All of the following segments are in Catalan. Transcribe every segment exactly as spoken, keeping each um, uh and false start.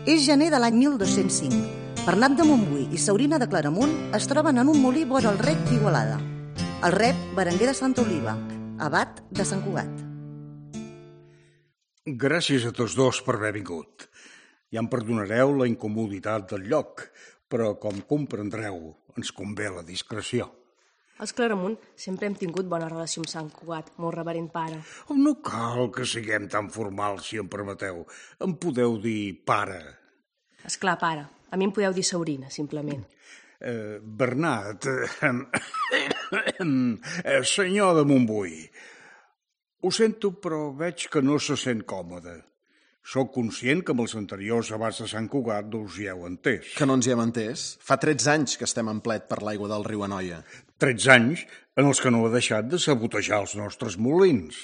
És gener de l'any mil dos-cents cinc. Bernat de Montbui i Saurina de Claramunt es troben en un molí vora el rec d'Igualada. El rep Berenguer de Santa Oliva, abat de Sant Cugat. Gràcies a tots dos per haver vingut. Ja em perdonareu la incomoditat del lloc, però com comprendreu, ens convé la discreció. Els Claramunt sempre hem tingut bona relació amb Sant Cugat, molt reverent pare. No cal que siguem tan formals, si em permeteu. Em podeu dir pare. Esclar, pare. A mi em podeu dir Saurina, simplement. Eh, Bernat, eh, eh, senyor de Montbui, ho sento, però veig que no se sent còmode. Soc conscient que amb els anteriors abats de Sant Cugat no us hi heu entès. Que no ens hi hem entès? Fa tretze anys que estem en plet per l'aigua del riu Anoia. tretze anys en els que no ha deixat de sabotejar els nostres molins.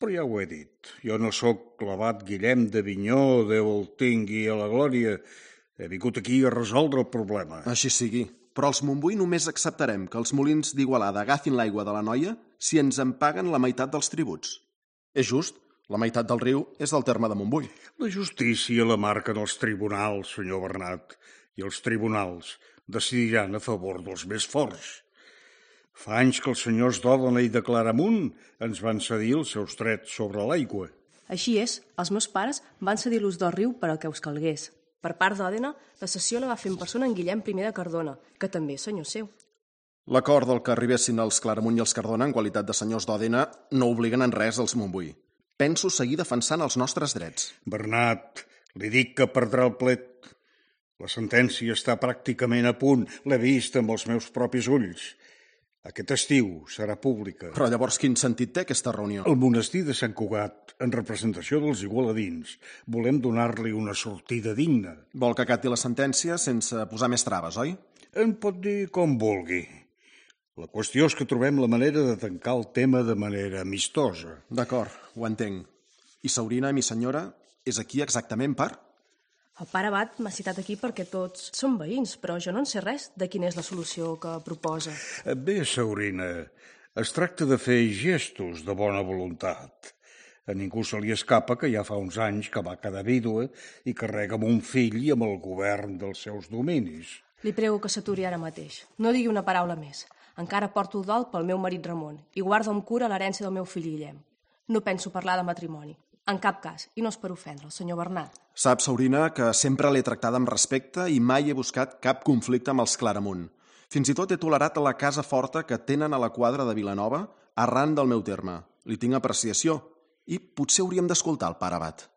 Però ja ho he dit, jo no sóc l'abat Guillem d'Avinyó, Déu el tingui a la glòria. He vingut aquí a resoldre el problema. Així sigui, però els Montbui només acceptarem que els molins d'Igualada agafin l'aigua de l'Anoia si ens en paguen la meitat dels tributs. És just? La meitat del riu és del terme de Montbui. La justícia la marquen els tribunals, senyor Bernat, i els tribunals decidiran a favor dels més forts. Fa anys que els senyors d'Òdena i de Claramunt ens van cedir els seus drets sobre l'aigua. Així és, els meus pares van cedir l'ús del riu per al que us calgués. Per part d'Òdena, la cessió la va fer en persona en Guillem primer de Cardona, que també és senyor seu. L'acord del que arribessin els Claramunt i els Cardona en qualitat de senyors d'Òdena no obliguen en res els Montbui. Penso seguir defensant els nostres drets. Bernat, li dic que perdrà el plet. La sentència està pràcticament a punt. L'he vist amb els meus propis ulls. Aquest estiu serà pública. Però llavors quin sentit té aquesta reunió? El monestir de Sant Cugat, en representació dels igualadins, volem donar-li una sortida digna. Vol que acati la sentència sense posar més traves, oi? En pot dir com vulgui. La qüestió és que trobem la manera de tancar el tema de manera amistosa. D'acord, ho entenc. I Saurina, mi senyora, és aquí exactament per? El pare abat m'ha citat aquí perquè tots són veïns, però jo no en sé res de quina és la solució que proposa. Bé, Saurina, es tracta de fer gestos de bona voluntat. A ningú se li escapa que ja fa uns anys que va quedar vídua i carrega amb un fill i amb el govern dels seus dominis. Li prego que s'aturi ara mateix. No digui una paraula més. Encara porto el dol pel meu marit Ramon i guardo amb cura l'herència del meu fill Guillem. No penso parlar de matrimoni. En cap cas, i no és per ofendre, el senyor Bernat. Sap, Saurina, que sempre l'he tractada amb respecte i mai he buscat cap conflicte amb els Claramunt. Fins i tot he tolerat la casa forta que tenen a la quadra de Vilanova arran del meu terme. Li tinc apreciació i potser hauríem d'escoltar el pare abat.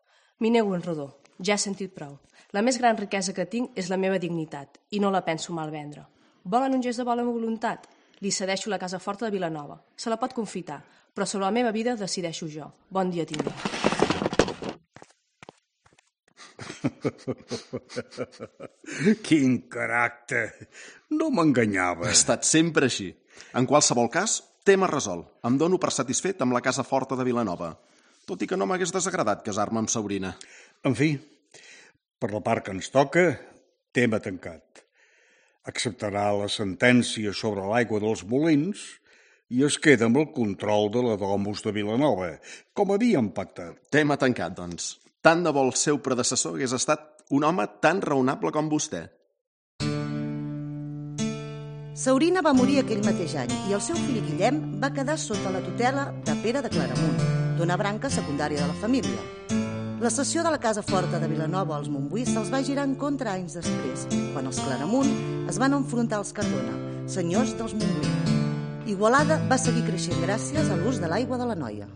M'hi nego en rodó. Ja he sentit prou. La més gran riquesa que tinc és la meva dignitat i no la penso malvendre. Volen un gest de bona voluntat? Li cedeixo la casa forta de Vilanova. Se la pot confitar, però sobre la meva vida decideixo jo. Bon dia tingui. Quin caràcter! No m'enganyava. Ha estat sempre així. En qualsevol cas, tema resolt. Em dono per satisfet amb la casa forta de Vilanova, tot i que no m'hagués desagradat casar-me amb Saurina. En fi, per la part que ens toca, tema tancat. Acceptarà la sentència sobre l'aigua dels molins i es queda amb el control de la Domus de Vilanova, com havíem pactat. Tema tancat, doncs. Tant de bo el seu predecessor hagués estat un home tan raonable com vostè. Saurina va morir aquell mateix any i el seu fill Guillem va quedar sota la tutela de Pere de Claramunt, d'una branca secundària de la família. La cessió de la casa forta de Vilanova als Montbui se'ls va girar en contra anys després, quan els Claramunt es van enfrontar als Cardona, senyors dels Montbui. Igualada va seguir creixent gràcies a l'ús de l'aigua de l'Anoia.